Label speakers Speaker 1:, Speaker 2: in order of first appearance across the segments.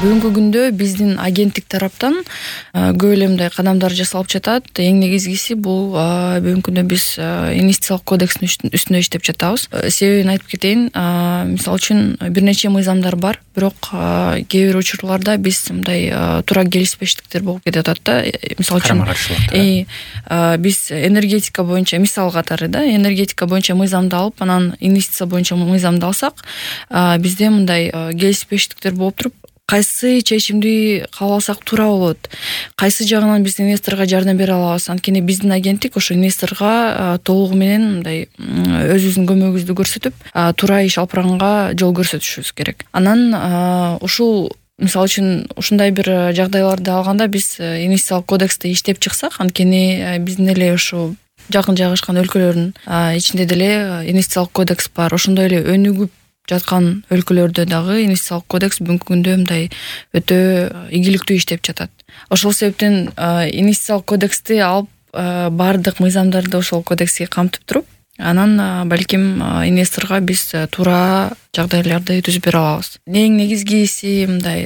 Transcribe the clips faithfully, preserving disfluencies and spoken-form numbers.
Speaker 1: бүгүнкү күндө биздин агенттик тараптан көп эле мындай кадамдар жасалып жатат. Эң негизгиси бул бүгүнкү күндө биз инвестициялык кодекстин үстүндө иштеп жатабыз. Себебин айтып кетейин. Мисалы үчүн бир нече мыйзамдар бар, бирок кээ бир учурларда биз мындай туура келишпештиктер болуп кетип атат да. Мисалы үчүн биз энергетика боюнча мисал катары да, энергетика боюнча мыйзамды алып, анан инвестиция боюнча мыйзамды алсак, бизде мындай келишпештиктер болуп туруп, кайсы чечимди кабыл алсак туура болот, кайсы жагынан биз инвесторго жардам бере алабыз. Анткени биздин агенттик ошо инвесторго толугу менен мындай өзүбүздүн көмөгүбүздү көрсөтүп, туура иш алып барганга жол көрсөтүшүбүз керек. Анан ушул мисалы үчүн ушундай бир жагдайларды алганда биз инвестициялык кодексте иштеп чыксак, анткени биздин эле ушу жакын жайгашкан өлкөлөрдүн ичинде деле инвестициялык кодекс бар. Ошондой эле өнүгүп жаткан өлкөлөрдө дагы инвестициялык кодекс бүгүнкү күндө мындай өтө ийгиликтүү иштеп жатат. Ошол себептен инвестициялык кодексти алып, баардык мыйзамдарды ошол кодекске камтып туруп, анан балким инвесторго биз туура жагдайларды түзүп бере алабыз. Эң негизгиси мындай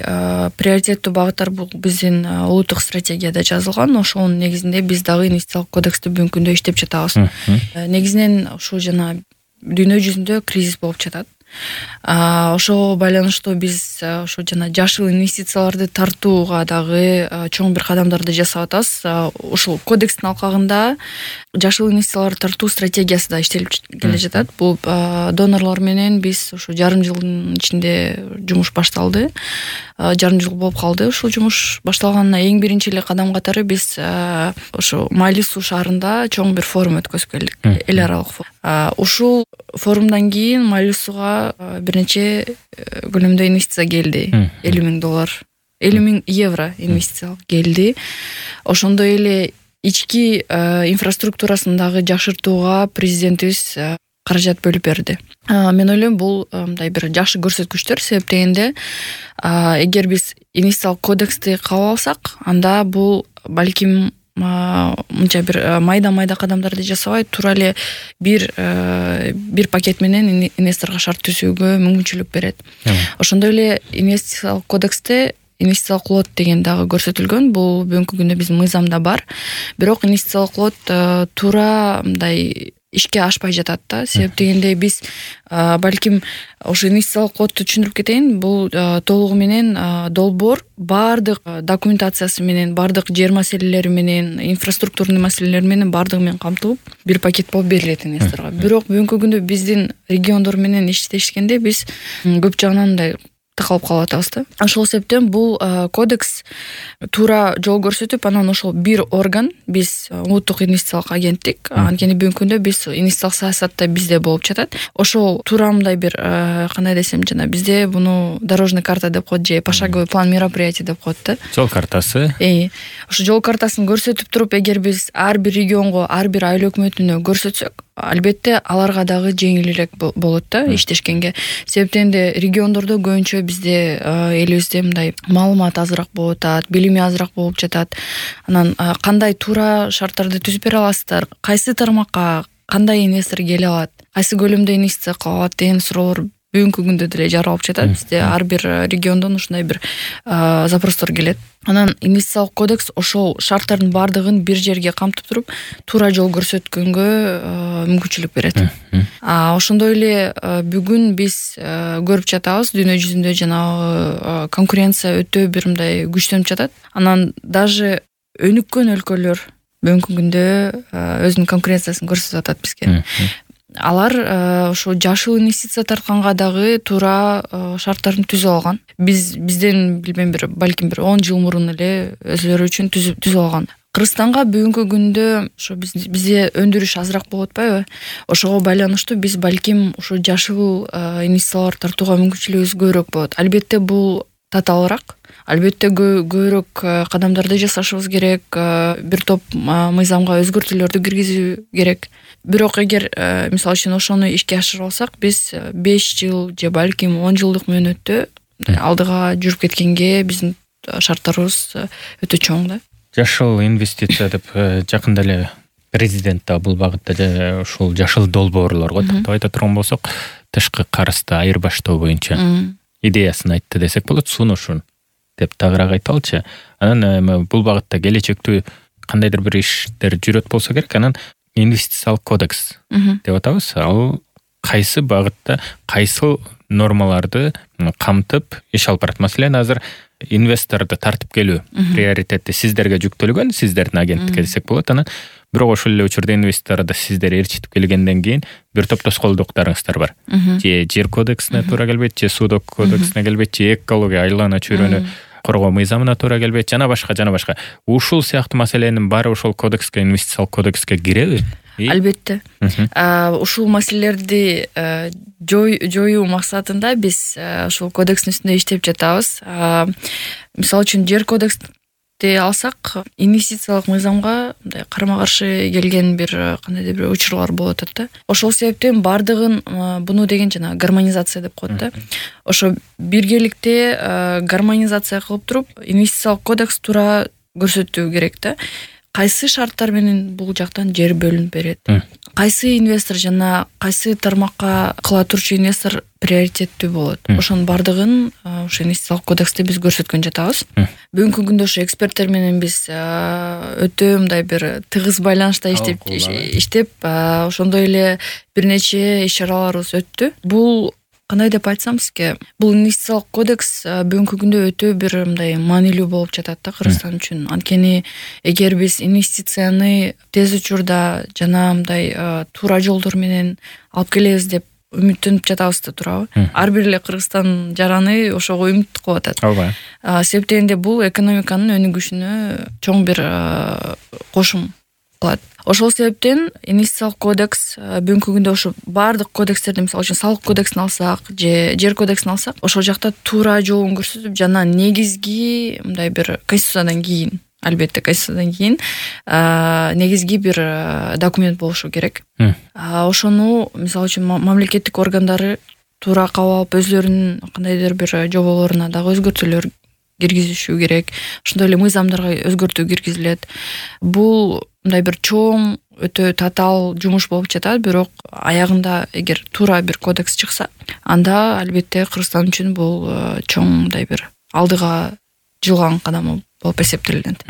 Speaker 1: приоритеттүү багыттар бул биздин улуттук стратегияда жазылган. Ошонун негизинде биз дагы инвестициялык кодексти бүгүнкү күндө иштеп жатабыз. Негизинен ушул жана дүйнө жүзүндө кризис болуп жатат. Ошого байланыштуу биз ошо жана жашыл инвестицияларды тартууга дагы чоң бир кадамдарды жасап атабыз. Ушул кодекстин алкагында жашыл инвестицияларды тартуу стратегиясы да иштелип келе жатат. Бул донорлор менен биз ушу жарым жылдын ичинде жумуш башталды. Жарым жыл болуп калды ушул жумуш башталганына. Эң биринчи эле кадам катары биз ошо Майли суу шаарында чоң бир форум өткөзүп келдик. Эл аралык форум. Ушул форумдан кийин Майли сууга бир нече көлөмдө инвестиция келди. элүү миң доллар, элүү миң евро инвестиция келди. Ошондой эле ички инфраструктурасын дагы жакшыртууга президентибиз каражат бөлүп берди. Мен ойлойм, бул мындай бир жакшы көрсөткүчтөр. Себеп дегенде, эгер биз инвестициялык кодексти кабыл алсак, анда бул балким мынча бир майда-майда кадамдарды жасабай, туура эле бир бир пакет менен инвесторго шарт түзүүгө мүмкүнчүлүк берет. Ошондой эле инвестициялык кодексте инвестициялык лот деген дагы көрсөтүлгөн. Бул бүгүнкү күндө биздин мыйзамда бар. Бирок инвестициялык лот туура мындай ишке ашпай жатат да. Себеп дегенде биз балким ошо инвестициялык лотту түшүндүрүп кетейин. Бул толугу менен долбоор баардык документациясы менен, баардык жер маселелери менен, инфраструктурный маселелер менен баардыгы менен камтылып бир пакет болуп берилет инвесторго. Бирок бүгүнкү күндө биздин региондор менен иштешкенде биз көп жагынан мындай такалып калып атабыз да. Ошол себептен бул кодекс туура жол көрсөтүп, анан ошол бир орган, биз улуттук инвестициялык агенттик, анткени бүгүнкү күндө биз инвестициялык саясатта бизде болуп жатат. Ошол туура мындай бир кандай десем, жана бизде буну дорожный карта деп коет, же пошаговый план мероприятий деп коет да.
Speaker 2: Жол картасы.
Speaker 1: Э, ошо жол картасын көрсөтүп туруп, эгер биз ар бир регионго, ар бир айыл өкмөтүнө көрсөтсөк, албетте аларга дагы жеңилирээк болот да иштешкенге. Себептенде региондордо көбүнчө бизде элибизде мындай маалымат азыраак болуп атат, билими азыраак болуп жатат. Анан кандай туура шарттарды түзүп бере аласыздар, кайсы тармакка кандай инвестор келе алат, кайсы көлөмдө инвестиция кыла алат деген суроолор бүгүнкү күндө деле жаралып жатат. Бизде ар бир региондон ушундай бир запростор келет. Анан инвестициялык кодекс ошол шарттардын баардыгын бир жерге камтып туруп, туура жол көрсөткөнгө мүмкүнчүлүк берет. Ошондой эле бүгүн биз көрүп жатабыз, дүйнө жүзүндө жана конкуренция өтө бир мындай күчтөнүп жатат. Анан даже өнүккөн өлкөлөр бүгүнкү күндө өзүнүн конкуренциясын көрсөтүп атат бизге. Алар ошо жашыл инвестиция тартканга дагы туура шарттарын түзүп алган. Биз бизден билбейм бир балким бир он жыл мурун эле өзүлөрү үчүн түзүп түзүп алган. Кыргызстанга бүгүнкү күндө ошо бизде өндүрүш азыраак болуп атпайбы? Ошого байланыштуу биз балким ошо жашыл инвестициялар тартууга мүмкүнчүлүгүбүз көбүрөөк болот. Албетте бул татаалыраак. Албетте көбүрөөк кадамдарды жасашыбыз керек, бир топ мыйзамга өзгөртүүлөрдү киргизүү керек. Бирок эгер мисалы үчүн ошону ишке ашырып алсак, биз беш жыл же балким он жылдык мөөнөттө алдыга жүрүп кеткенге биздин шарттарыбыз өтө чоң да.
Speaker 2: Жашыл инвестиция деп жакында эле президент да бул багытта ушул жашыл долбоорлорго токтоп айта турган болсок, тышкы карызды айырбаштоо боюнча идеясын айтты десек болот, сунушун деп тагыраак айталычы. Анан бул багытта келечектүү кандайдыр бир иштер жүрөт болсо керек. Анан инвестициялык кодекс деп атабыз. Ал кайсы багытта кайсы нормаларды камтып иш алып барат? Маселен, азыр инвесторду тартып келүү приоритети сиздерге жүктөлгөн, сиздердин агенттикке десек болот. Анан бирок ошол эле учурда инвесторду сиздер ээрчитип келгенден кийин бир топ тоскоолдуктарыңыздар бар. Же жер кодексине туура келбейт, же суудок кодексине келбейт, же экология, айлана чөйрөнү коргоо мыйзамына туура келбейт, жана башка жана башка. Ушул сыяктуу маселенин баары ошол кодекске, инвестициялык кодекске киреби?
Speaker 1: Албетте. Ушул маселелерди жоюу максатында биз ушул кодекстин үстүндө иштеп жатабыз. Мисалы үчүн жер кодексти алсак, инвестициялык мыйзамга мындай карама-каршы келген бир кандайдыр бир учурлар болуп атат да. Ошол себептен бардыгын буну деген жана гармонизация деп коет да. Ошо биргеликте гармонизация кылып туруп, инвестициялык кодекс туура көрсөтүү керек да. Кайсы шарттар менен бул жактан жер бөлүнүп берет, кайсы инвестор жана кайсы тармакка кыла турчу инвестор приоритеттүү болот. Ошонун бардыгын ошо инвестициялык кодексте биз көрсөткөн жатабыз. Бүгүнкү күндө ошо эксперттер менен биз өтө мындай бир тыгыз байланышта иштеп иштеп ошондой эле бир нече иш чараларыбыз өттү. Бул кандай деп айтсам сизге, бул инвестициялык кодекс бүгүнкү күндө өтө бир мындай маанилүү болуп жатат да Кыргызстан үчүн. Анткени эгер биз инвестицияны тез учурда жана мындай туура жолдор менен алып келебиз деп үмүттөнүп жатабыз да, туурабы? Ар бир эле Кыргызстан жараны ошого үмүт кылып атат.
Speaker 2: Ооба.
Speaker 1: Себептен де бул экономиканын өнүгүшүнө чоң бир кошум кылат. Ошол себептен инвестициялык кодекс бүгүнкү күндө ошо баардык кодекстерди, мисалы үчүн салык кодексин алсак, же жер кодексин алсак, ошол жакта туура жолун көрсөтүп, жана негизги мындай бир конституциядан кийин, албетте конституциядан кийин негизги бир документ болушу керек. Ошону мисалы үчүн мамлекеттик органдары туура кабыл алып, өзлөрүнүн кандайдыр бир жоболоруна дагы өзгөртүүлөр киргизишүү керек. Ошондой эле мыйзамдарга өзгөртүү киргизилет. Бул мындай бир чоң, өтө татаал жумуш болуп жатат, бирок аягында эгер туура бир кодекс чыкса, анда албетте Кыргызстан үчүн бул чоң мындай бир алдыга жылган кадам болуп эсептелинет.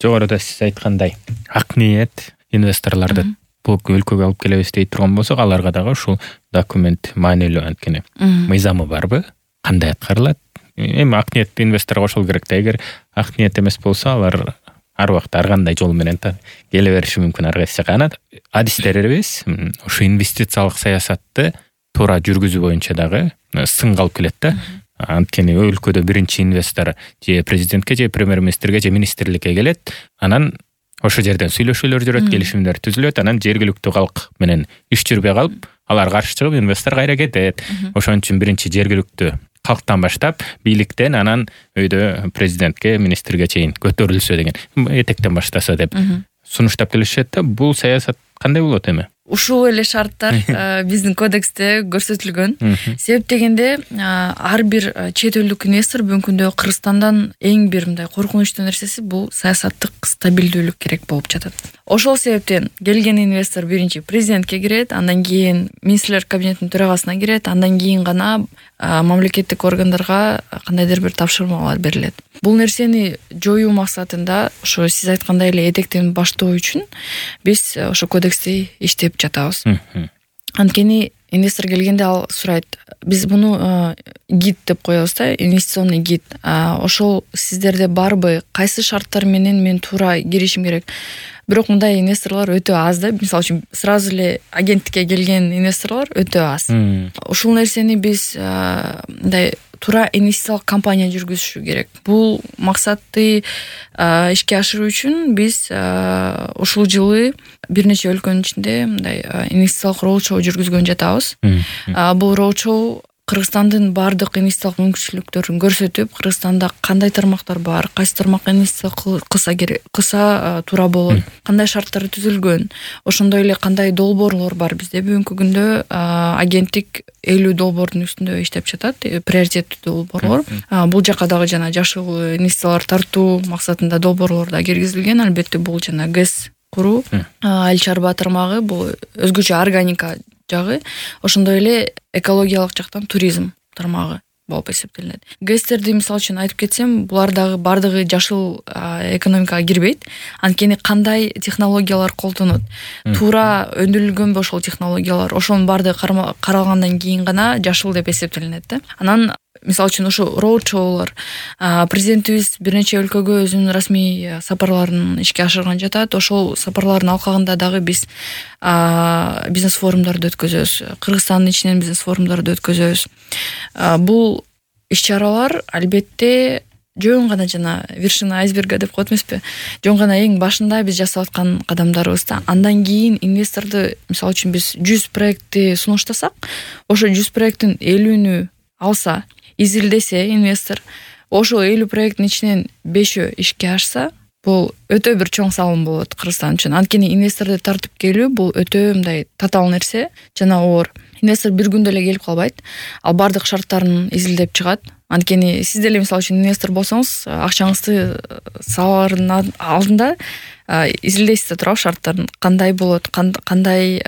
Speaker 2: Жогоруда сиз айткандай, ак ниет инвесторлорду бул өлкөгө алып келебиз дей турган болсок, аларга дагы ушул документ маанилүү. Анткени мыйзамы барбы, кандай аткарылат? Эми ак ниеттүү инвесторго ошол керек да. Эгер ак ниет эмес болсо, алар ар убакта ар кандай жол менен келе бериши мүмкүн ар кайсы жака. Анан адистерибиз ошо инвестициялык саясатты туура жүргүзүү боюнча дагы сынга алып келет да. Анткени өлкөдө биринчи инвестор же президентке, же премьер-министрге, же министрликке келет. Анан ошол жерден сүйлөшүүлөр жүрөт, келишимдер түзүлөт. Анан жергиликтүү калк менен иш жүрбөй калып, алар каршы чыгып, инвестор кайра кетет. Ошон үчүн биринчи жергиликтүү калктан баштап, бийликтен анан өйдө президентке, министрге чейин көтөрүлсө деген, этектен баштаса деп сунуштап келишет да. Бул саясат кандай болот эми? Ушул
Speaker 1: эле шарттар биздин кодексте көрсөтүлгөн. Себеп дегенде, ар бир чет элдик инвестор бүгүнкү күндө Кыргызстандан эң бир мындай коркунучтуу нерсеси бул саясаттык стабилдүүлүк керек болуп жатат. Ошол себептен келген инвестор биринчи президентке кирет, андан кийин министрлер кабинетинин төрагасына кирет, андан кийин гана мамлекеттик органдарга кандайдыр бир тапшырмалар берилет. Бул нерсени жоюу максатында, ошо сиз айткандай эле этектен баштоо үчүн биз ошо кодексти иштеп жатабыз. Анткени инвестор келгенде ал сурайт, биз муну гид деп коебуз да, инвестиционный гид. Ошол сиздерде барбы, кайсы шарттар менен мен туура киришим керек? Бирок мындай инвесторлор өтө аз да. Мисалы үчүн сразу эле агенттикке келген инвесторлор өтө аз. Ушул нерсени биз мындай туура инвестициялык кампания жүргүзүшү керек. Бул максатты ишке ашыруу үчүн биз ушул жылы бир нече өлкөнүн ичинде мындай инвестициялык роудшоу жүргүзгөн жатабыз. Бул роудшоу Кыргызстандын бардык инвестициялык мүмкүнчүлүктөрүн көрсөтүп, Кыргызстанда кандай тармактар бар, кайсы тармакка инвестиция кылса керек, кылса туура болот, кандай шарттар түзүлгөн, ошондой эле кандай долбоорлор бар. Бизде бүгүнкү күндө агенттик элүү долбоордун үстүндө иштеп жатат, приоритеттүү долбоорлор. Бул жака дагы жана жашыл инвестициялар тартуу максатында долбоорлор да киргизилген. Албетте бул жана ГЭС куруу, айыл чарба тармагы, бул өзгөчө органика жагы, ошондой эле экологиялык жактан туризм тармагы. болуп эсептелинет. гэстерди мисалы үчүн айтып кетсем, булар дагы баардыгы жашыл экономикага кирбейт. Анткени кандай технологиялар колдонот, туура өндүрүлгөнбү ошол технологиялар, ошонун баардыгы каралгандан кийин гана жашыл деп эсептелинет да. Анан мисалы үчүн ошо роудшоулар, президентибиз бир нече өлкөгө өзүнүн расмий сапарларын ишке ашырган жатат. Ошол сапарлардын алкагында дагы биз бизнес форумдарды өткөзөбүз. Кыргызстандын ичинен бизнес форумдарды өткөзөбүз. Бул иш-чаралар албетте жөн гана жана вершина айсберга деп коет эмеспи, жөн гана эң башында биз жасап аткан кадамдарыбыз да. Андан кийин инвесторду, мисалы үчүн биз жүз проектти сунуштасак, ошо жүз проекттин элүүнү алса, изилдесе инвестор, ошо элүү проекттин ичинен бешөө ишке ашса, бул өтө бир чоң салым болот Кыргызстан үчүн. Анткени инвесторду тартып келүү бул өтө мындай татаал нерсе жана оор. Инвестор бир күндө эле келип калбайт. Ал бардык шарттарын изилдеп чыгат. Анткени сиз деле мисалы үчүн инвестор болсоңуз, акчаңызды салаардын алдында изилдейсиз да туурабы шарттарын, кандай болот, кандай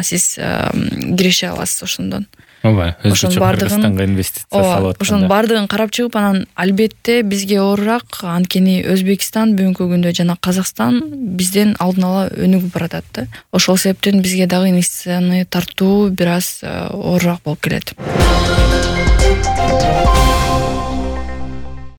Speaker 1: сиз киреше аласыз ошондон.
Speaker 2: Ооба, өзгөчө Кыргызстанга инвестиция салып атканда.
Speaker 1: Ошонун баардыгын карап чыгып, анан албетте бизге оорураак, анткени Өзбекстан бүгүнкү күндө жана Казакстан бизден алдын ала өнүгүп баратат да. Ошол себептен бизге дагы инвестицияны тартуу бир аз оорураак болуп келет.